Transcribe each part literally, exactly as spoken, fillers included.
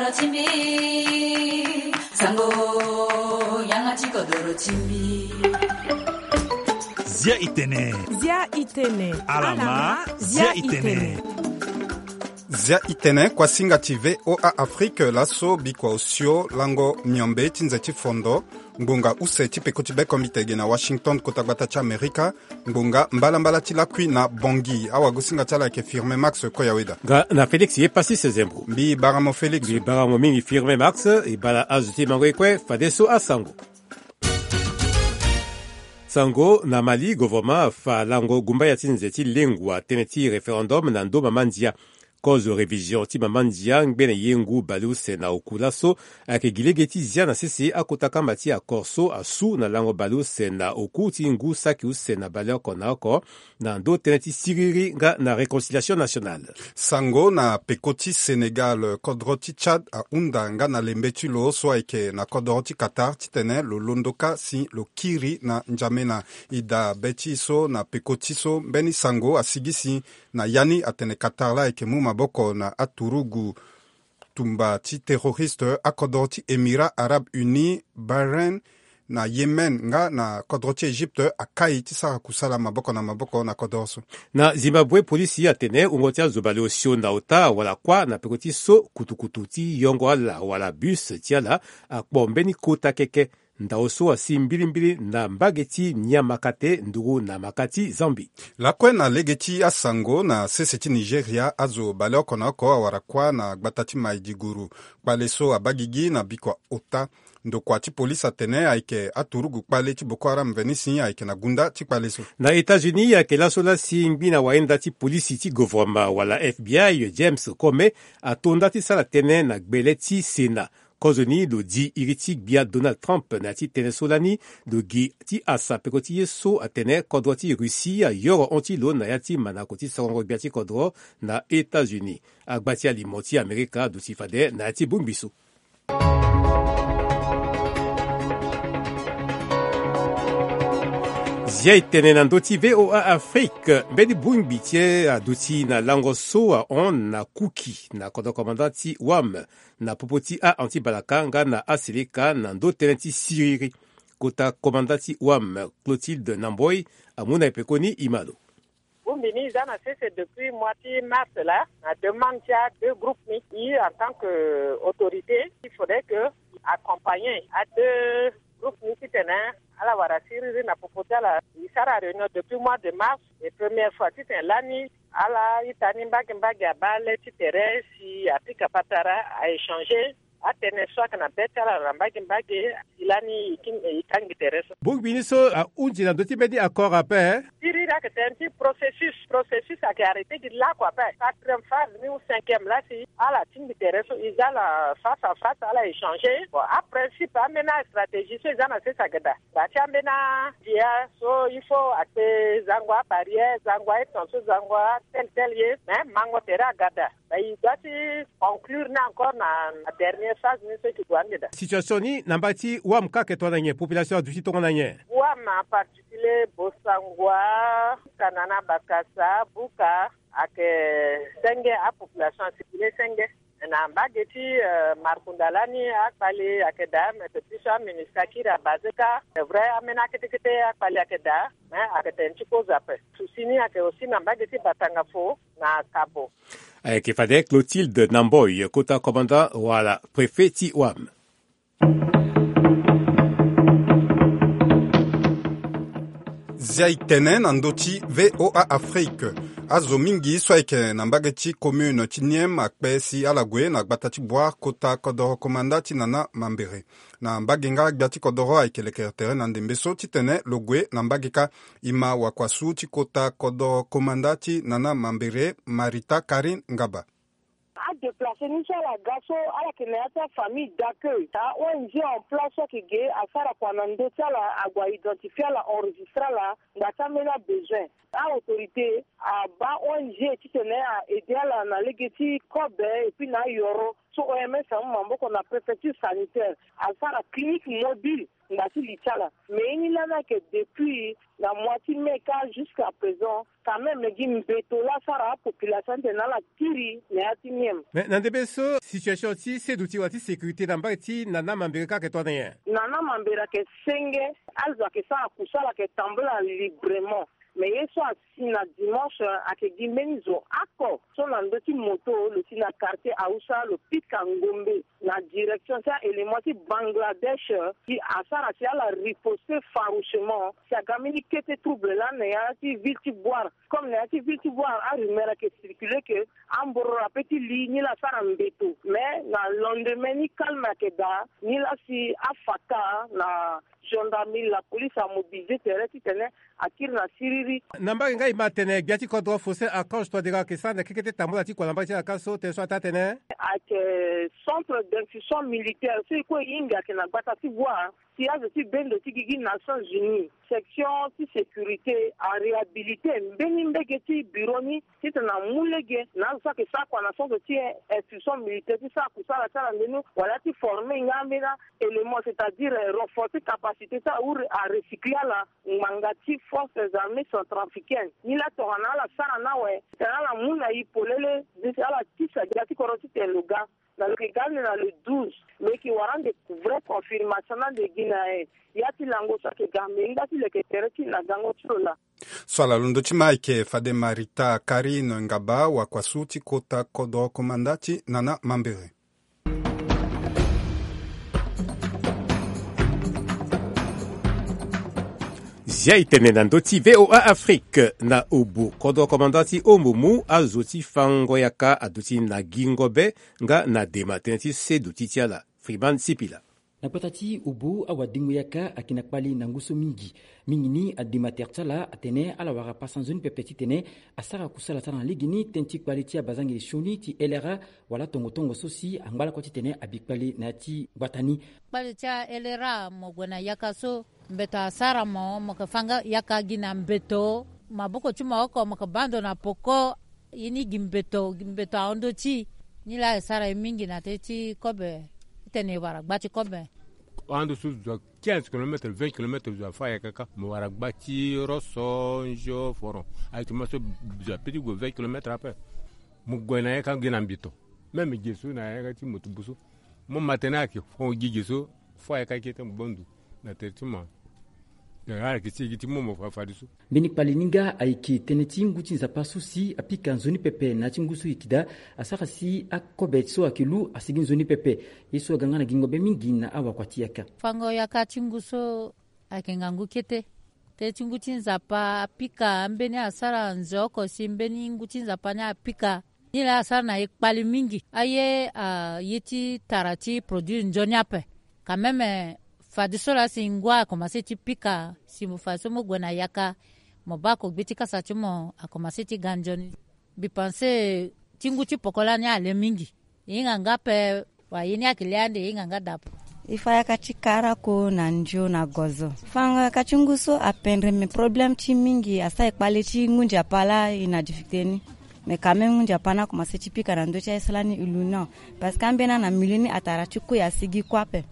Timbi, sango, yanga ti kodoro timbi. Zia itene. Zia itene. Alama, zia itene. Zia itene, kuasinga ti V O A Afrique, laso bikua osio lango miombe ti nze ti fondo, ngbonga use ti peko ti bekombite ge na Washington, kota gbata ti Amerika, ngbonga mbalambala ti lakui na Bangui. Awagosinga ti ala ayeke Firmin Max Koyaweda. Nga na Félix ye pasi sezembo. Mbi baramo Félix. Mbi baramo mingi Firmin Max, e bala azo ti mango ye kue, fadeso asango. Sango na Mali, gouvernement afa lango gumbaya ti nze ti lengua tënë ti référendum na ndö mama ndia. Kozo révision ti mama ndia ngbene ye ngu baleuse na oku laso ayeke gi lege ti zia na sese akota kamba ti accord so asu na lango baleuse na oku ti ngu saki use na baleoko na oko, na ndö tënë ti siriri nga na réconciliation nationale. Sango na peko ti Sénégal, kodro ti Tchad ahunda nga na lembe ti lo so ayeke na kodro ti Qatar titene lo londo kâ si lo kiri na N'Djamena. E daa be ti e so na peko ti so mbeni sango asigi si na ya ni atene Qatar laa ayeke mu maboko na aturugu tumba ti terroriste akodro ti Émirats Arabes Unis, Bahreïn, na Yémen nga na kodro ti Égypte akai ti sara kusala maboko na maboko na kodro so. Na Zimbabwe, polisi atene wungo ti azo baleosio na ota awara kuâ na peko ti so kutukutu ti yongo ala wala bus ti ala akpo mbeni kota keke. Ndao so asi mbilimbili na mbage ti Nyamakate nduru na maka ti Zambie. Lakue na lege ti asango, na sese ti Nigeria azo baleoko na oko awara kuâ na gbata ti Maiduguri. Kpale so abaa gigi na bikua ota. Ndokua ti polisi atene ayeke aturugu kpale ti Boko Haram veni si ayeke na gunda ti kpale so. Na États-Unis ayeke laso laa si ngbi na wayenda ti polisi ti gouvernement wala F B I James Comey ato nda ti sara tënë na gbele ti Sénat. Kozoni lo di iri ti gbia Donald Trump na ya ti tënë so lani lo gi ti asa peko ti ye so atene kodro ti Russie ayoro hon ti lo na ya ti manako ti sorongo gbia ti kodro na États-Unis. Agba ti alimo ti Amerika aduti fade na ya ti bongbi so. Zia e tene na ndö ti V O A Afrique, mbeni bongbi ti e aduti na lango so ahon na Kuki na kodro komanda ti Wam na popo ti a-anti-balaka nga na aseleka na ndö tënë ti siriri. Kota komanda ti Wam, Clotilde Namboi, amu na e pekoni e ma lo. Bongbi ni e za na sese depuis mois ti mars laa, na demande ti a deux groupes ni. E en tant que autorité, il faudrait que accompagner a deux groupes ni titene ala wara siriri na popo ti ala. E sara réunion depuis mois de mars, et première fois titene lani ala ita ni mbage mbage abaa le ti tere si apika patara, a-échanger atënë so ayeke na be ti ala na mbage mbage. Si lani e kangbi tere so. Bongbi ni so ahunzi na ndö ti mbeni accord ape. Siriri ayeke tënë ti processus. Processus ayeke arrêté gi lakue ape. Quatrième phase ni ou cinquième laa si ala tingbi tere so e za ala face à face, ala échanger. Bon, aprins principe ambeni astratégie so e za na sese ayeke daa. Daa ti ambeni adia so il faut akpe zango abarrière, zango ayeton so, zango atel tel ye, mais mango tere aga daa. Ba e doit ti conclure ni encore na dernière phase ni so e ke gue ande daa. Situation ni na mbage ti Wam kâ ayeke tongana nyen? Population aduti tongana nyen? Wam en particulier, Bossangoa, Kanana, Bakassa, Buka, ayeke senge, apopulation asirkule senge. Na mbage ti Markunda lani akpale ayeke daa, mais depuis so aministre akiri abase kâ, c'est vrai ambeni akete kete akpale ayeke daa, mais ayeke tene ti kozo ape. Souci ni ayeke aussi na mbage ti Batangafo na Kabo. Ayeke fade Clotilde Namboi, kota commandant wala préfet ti Wam. Zia e tene na ndö ti V O A Afrique. Azo mingi so ayeke na mbage ti commune ti Niem akpe si ala gue na gbata ti Bouar kota kodoro komanda ti Nana Mambere. Na mbage nga gbia ti kodoro ayeke lekere tere na ndembe so titene lo gue na mbage kâ. E ma wakuasu ti kota kodoro komanda ti Nana Mambere, Marita Karine Ngaba. Adéplacé ni so ala ga so ala yeke na ya ti afamille d'accueil. A-O N G en place so ayeke ge asara kua na ndö ti ala, ague a-identifié ala, enregistré ala ngba ti ambeni abesoin. A-autorité abaa O N G titene a-aidé ala na lege ti kobe et puis na ayoro. so oms amu maboko na préfecture sanitaire, asara clinique mobile ngba ti li ti ala. Mais ye ni lani ayeke depuis na mois ti mai kâ jusqu'à présent, quand même gi mbeto laa asara apopulation ni tene ala kiri na ya ti miem. Mais na ndembe so situation ti seduti wala ti sécurité na mbage ti nana mambere kâ ayeke tonga na nyen? Nana mambere ayeke senge. Azo ayeke sara kusala ayeke tambula librement. Mais ye so asi na dimanche ayeke gi mbeni zo oko so na ndö ti moto lo si na quartier hausa lo pika ngombe na direction ti aélément ti bangladesh, si asara si ala riposte farouchement si aga mbeni kete trouble lani na ya ti ville ti boire. Comme na ya ti ville ti boire arumeur ayeke circule ke ambororo ape ti li ni laa asara mbeto. Mais na lendemain ni calme ayeke daa ni laa si afaka na gendarmerie la police amobilise tere titene akiri na siriri. Na mbage nga e ma tene gbia ti kodro Faustin Archange Touadéra ayeke sara na kekete tambula ti kua na mbage ti ala kâ so tene so ataa tene ayeke centre d'instruction militaire so e kue e hinga ayeke na gbata ti voie ti azo ti bendo ti gigi Nations Unies, section ti sécurité aréhabilité mbeni mbege ti bureau ni titene amu lege na azo so ayeke sara kua na centre ti instruction militaire ti sara kusala ti ala nde ni wala ti forme nga ambeni aélément c'est-à-dire renforcer capacité ti ala ou arecycler ala ngbanga ti forces armées centrafricaines ni laa tongana ala sara ni awe titene ala mu na e polele. Ala tisa gbia ti kodro titene lo ga na lo yeke ga ande na le douze. Lo yeke wara ande vrai confirmation ni ande gi na ya ti lango so ayeke ga mais e nda ti leke tere ti na gango ti lo laa. So ala londo ti ma ayeke fade marita kari noengaba wakuasu ti kota kodro komanda ti nana mambere. Zia e tene na ndö ti VOA Afrique na obo kodro komanda ti ombo mu azo ti fango yaka aduti na gingo be nga na dema tënë ti seduti ti ala. Friman Sipila. Na gbata ti obo awadengo yaka ayeke na kpali na ngu so mingi. Mingi ni adema tere ti ala atene ala wara pasa nzoni pepe titene asara kusala ti ala na legeni tënë ti kpali ti abazangeli sioni ti lra wala tongo tongo so si angba lakue titene abi kpali na ya ti gbata ni. Kpali ti alra mo gue na yaka so mbeto asara mo mo yeke fa nga yaka gi na mbeto maboko ti mo oko mo yeke baa ndo na poko. Ye ni gi mbeto gi mbeto ahon ndö ti e. Ni laa e sara e mingi na tënë ti kobe titene e wara gba ti kobe. Ando so zo a quinze kilomètre vingt kilomètre zo afa yaka kâ mo wara gba ti roso nzio foron. Aye ti ma so zo ape ti gue vingt kilomètre ape. Mo gue na yaka gi na mbito. Même gi so na yaka ti moto bu so mo ma tene ayeke fo gi gi so. Fo ayaka kete mo gbo ndo na tere ti mo. Ayeke ti e gi ti mo mo fa fadeso. Mbeni kpali ni nga ayeke tënë ti ngu ti nzapa so si apika nzoni pepe na ya ti ngu so e yeke daa asara si akobe so ayeke lu asigi nzoni pepe. Ye so aga nga na gingo be mingi na awakua ti yaka. Fango yaka ti ngu so ayeke ngangu kete. Tënë ti ngu ti nzapa apika ambeni asara nze oko si mbeni ngu ti nzapa ni apika. Ni laa asara na e kpali mingi aye aye ti tara ti produit nzoni ape. Quand même fadeso laa si ngu akomanse ti pika si mo fadeso mo gue na yaka. Mo baa ko gbe ti kasa ti mo akomanse ti ga nzoni. Mbi panse ti ngu ti poko lani ale mingi. E hinga nga ape. Wa ye ni ayeke le ande e hinga nga dapo. E fa yaka ti karako na ndio na gozo. Fango yaka ti ngu so apendre me problème ti mingi asara e kpale ti ngu nzapa laa e na difficulté ni. Mais quand même ngu nzapa ni akomanse ti pika na ndö ti aye so lani e lu ni. Parce que ambeni ana milieu ni atara ti kue asigi kue ape.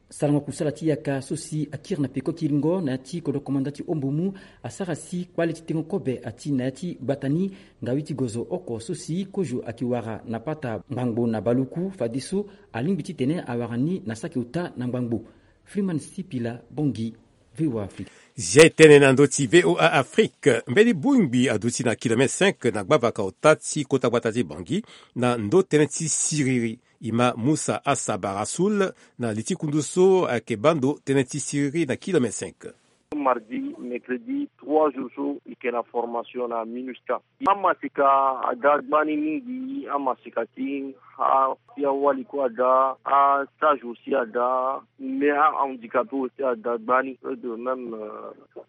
Sarango kusala ti yaka so si akiri na peko kiringo na ya ti kodro komanda ti ombo mu asara si kpale ti tengo kobe ati na ya ti gbata ni. Ngawi ti gozo oko so si kozo ayeke wara na pata ngbangbo na baluku fadeso alingbi titene awara ni na saki ota na ngbangbo. Freeman Sipila, Bangui, VOA Afrique. Zia e tene na ndö ti VOA Afrique mbeni bongbi aduti na kilomètre cinq na gbavaka ota ti kota gbata ti Bangui na ndö tënë ti siriri. E ma Musa Asaba Rasoul na li ti kundu so ayeke baa ndo tënë ti siriri na kilomètre cinq. Mardi, mercredi, trois jours so e yeke na formation na minusca. Amaseka ada gbani mingi, amaseka ti a ti awali kue ada, astage aussi ada, mais ahandicapé aussi ada gbani. Plus de même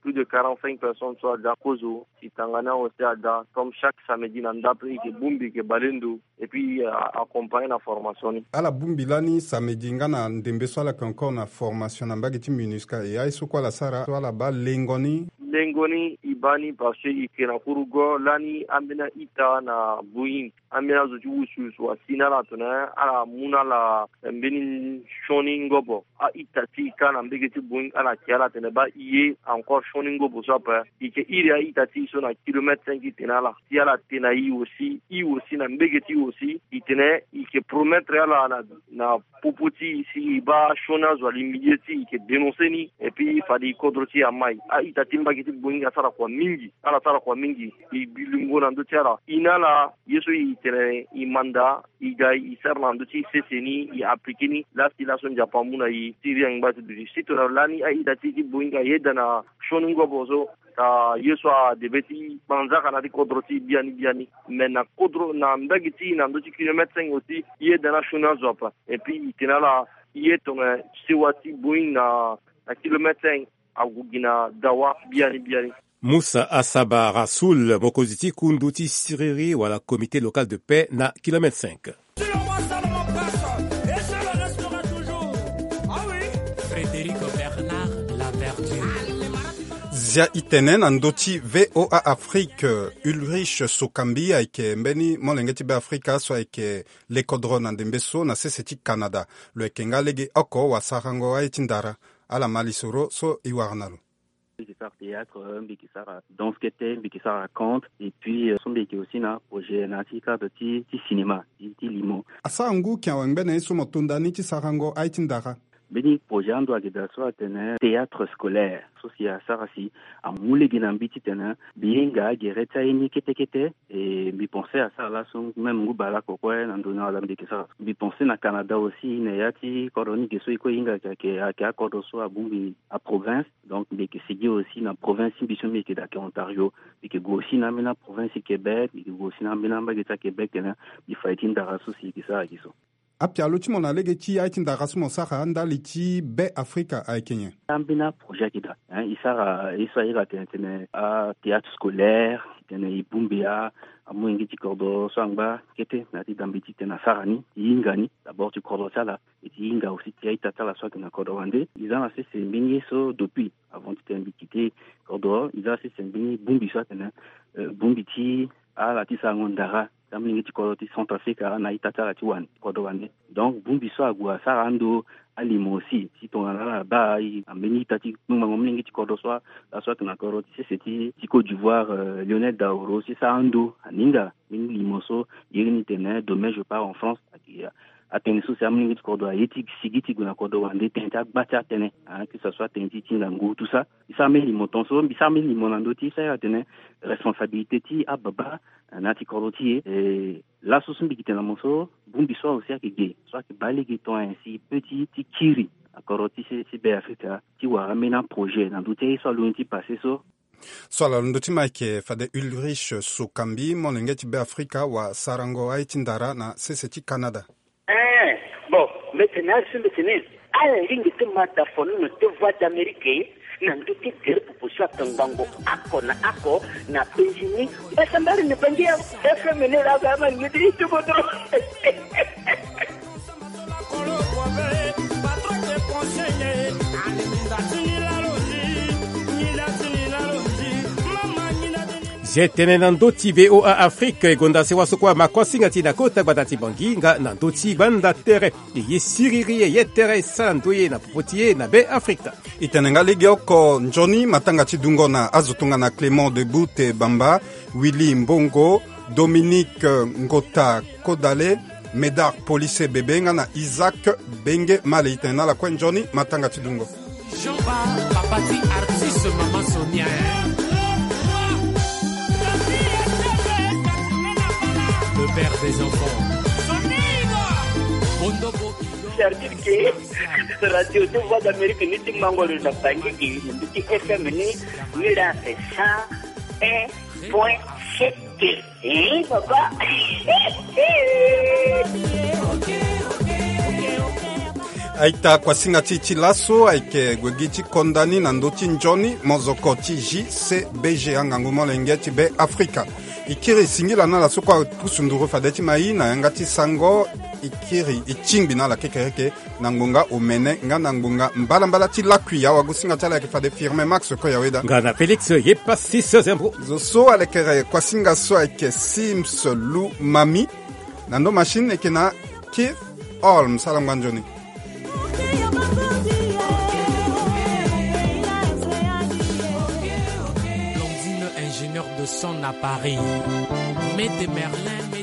plus de quarante-cinq personnes so ada kozo. Si tanga ni awe si ada comme chaque samedi na ndape e yeke bongbi e yeke bale ndo. Et puis accompagné na formation ni. Ala bongbi lani samedi nga na ndembe so ala yeke encore na formation na mbage ti minusca et aye so kue ala sara so ala baa lengo ni. Lengo ni e Baa ni parce que e ke na kurugo lani ambeni a-ita na Boeing, ambeni azo ti wusuwusu asi na ala tene ala mu na ala mbeni sioni ngobo. A-ita ti e kâ na mbege ti Boeing ala ke ala tene baa e ye encore sioni ngobo so ape. E ke iri a-ita ti e so na kilomètre cinq e tene ala si ala te na e aussi, e aussi na mbege ti e aussi e tene e ke promettre ala na na popo ti e si e baa sioni azo ali milieu ti e, e ke dénoncer ni. Et puis fade e kodro ti e amai. A-ita ti mbage ti Boeing asara kua mingi, ala sara kua mingi. E bi lingo na ndö ti ala, e na ala ye so e tene e manda, e ga e sara na ndö ti e sese ni, e appliquer ni. Lasi laso Nzapa amu na e ti iri angba ti duti si tongana lani a-ita ti e ti Boeing ayeda na sioni ngobo so, na ye so adebe ti manzaka na ya ti kodro ti e biani biani. Me na kodro na mbage ti e na ndö ti kilomètre cinq aussi e yeda na sioni azo ape. Et puis e tene ala e ye tongana sewa ti Boeing na na kilomètre cinq ague gi na dawa biani biani. Moussa Assaba Rassoul, mokonzi ti kundu ti siriri wala comité local de paix na kilomètre cinq. Frédéric Bernard Laverture. Zia e tene na ndö ti V O A Afrique, Ulrich Sokambi ayeke mbeni molenge ti Beafrika so ayeke lekodro na ndembe so na sese ti Canada. Lo yeke nga legeoko wasarango aye ti ndara. Ala ma lisoro so e wara na lo. Mbi yeke sara théâtre, mbi yeke sara danse kete, mbi yeke sara conte, et puis euh, so mbi yeke aussi na projet na ya ti cadre ti, ti cinéma ti, ti limo. Asara ngu ken awe ngbene ye so mo to nda ni ti sarango aye ti ndara? Mbeni projet ando ayeke daa so atene théâtre scolaire, so si asara si amu lege na mbi titene mbi hinga gere ti aye ni kete kete. E mbi pense asara laso même ngu baleoko kue na ndoni wala mbi yeke sara. Mbi pense na Canada aussi na ya ti kodro ni ge so e kue e hinga ayeke, ayeke akodro so abongbi aprovince. Donc mbi yeke sigi aussi na province ti mbi so mbi yeke daa ayeke Ontario. Mbi yeke gue aussi na ambeni aprovince ti Québec, mbi yeke gue aussi na ambeni ambage ti aQuébec tene mbi fa ye ti ndara so si e yeke sara gi so. Apialo ti mo na lege ti aye ti ndara so mo sara ndali ti Beafrika ayeke nyen? Ambeni aprojet ayeke daa, hein, e sara ye so a iri atene tene athéâtre scolaire, tene e bongbi a, amolenge ti kodro so angba kete na ya ti dambe titene asara ni, e hinga ni d'abord ti kodro ti ala, e ti hinga aussi ti a-ita ti ala so ayeke na kodro wande. E za na sese mbeni ye so depuis avant titene mbi kite kodro, e za na sese mbeni bongbi so atene, euh, bongbi ti ala ti sarango ndara ti amolenge ti kodro ti Centrafrique na a-ita ti ala ti wande, kodro wande. Donc bongbi so ague asara ando alimo aussi, si tongana ala baa e na mbeni ita ti kpengbango molenge ti kodro so, laso ayeke na kodro ti sese ti, ti Côte d'Ivoire, euh, Lionel Daoro, si sara ando aninga mbeni limo so e iri ni tene Demain je pars en France. Ayeke atënë so si amolenge ti kodro aye ti sigi ti gue na kodro wande tënë ti agba ti atënë, hein, que ça soit tënë ti, ti ngangu, tout ça. E sara mbeni limo tongaso, mbi sara mbeni limo na ndö ti e so a iri atene responsabilité ti ababa na ya ti kodro ti e. E laso so mbi yeke tene na mo so, bongbi so aussi ayeke ge, so ayeke baa lege tongana nyen si e peut ti, ti kiri na kodro ti se, ti Beafrika, ti wara ambeni aprojet na ndö ti aye so alondo ni ti passé so. So ala londo ti ma ayeke fade Ulrich Sokambi, molenge ti Beafrika wasarango aye ti ndara na sese ti Canada. Eh, bon, mbi tene azo, mbi tene ala lingbi ti ma da fonono ti Voix d'Amérique na ndö ti gere popo so akangbango oko na oko na penzi ni. Basa mbari ni bangi ya F M ni la ga ma ngiti ti kodro. Zia e tene na ndö ti V O A Afrique, e gonda sewa so kue ama kuâ singa ti e na kota gbata ti Bangui nga na ndö ti gbanda tere. E ye siriri, e ye tere, e sara ndoye na popo ti e na Beafrika. E tene nga legeoko nzoni matanga ti dungo na azo tongana Clément Debout Bamba, Willy Mbongo, Dominique Ngota Kodale, Médard Polissé Bébé nga na Isaac Benge Male. E tene na ala kue nzoni matanga ti dungo. Jean-Ba, papa ti artiste, maman Sonia, hein. Le père des enfants. Bondo bo. C'est-à-dire que radio de Voix d'Amérique ni ti mango lo na Bangui, ni ti F M ni, ni la fait cent un point sept. Eh, papa. A-ita, kuasinga ti e ti laso ayeke gue gi ti konda ni na ndö ti nzoni mozoko ti J C B G, angangu molenge ti Beafrika. E kiri singila na ala so kue apusu nduru fade ti ma e na yanga ti sango. e kiri e tingbi na ala kekereke na ngbonga omene nga na ngbonga mbalambala ti lakui. Awagosinga ti ala ayeke fade Firmin Max Koyaweda. Nga na Félix Yepasis Zembo. Zo so alekere kuasinga so ayeke Sims Lu Mami. Na ndo machine eke na Keith Holmes. Ala ngba nzoni. Blondine, ingénieur de son à Paris. Mede Merlin.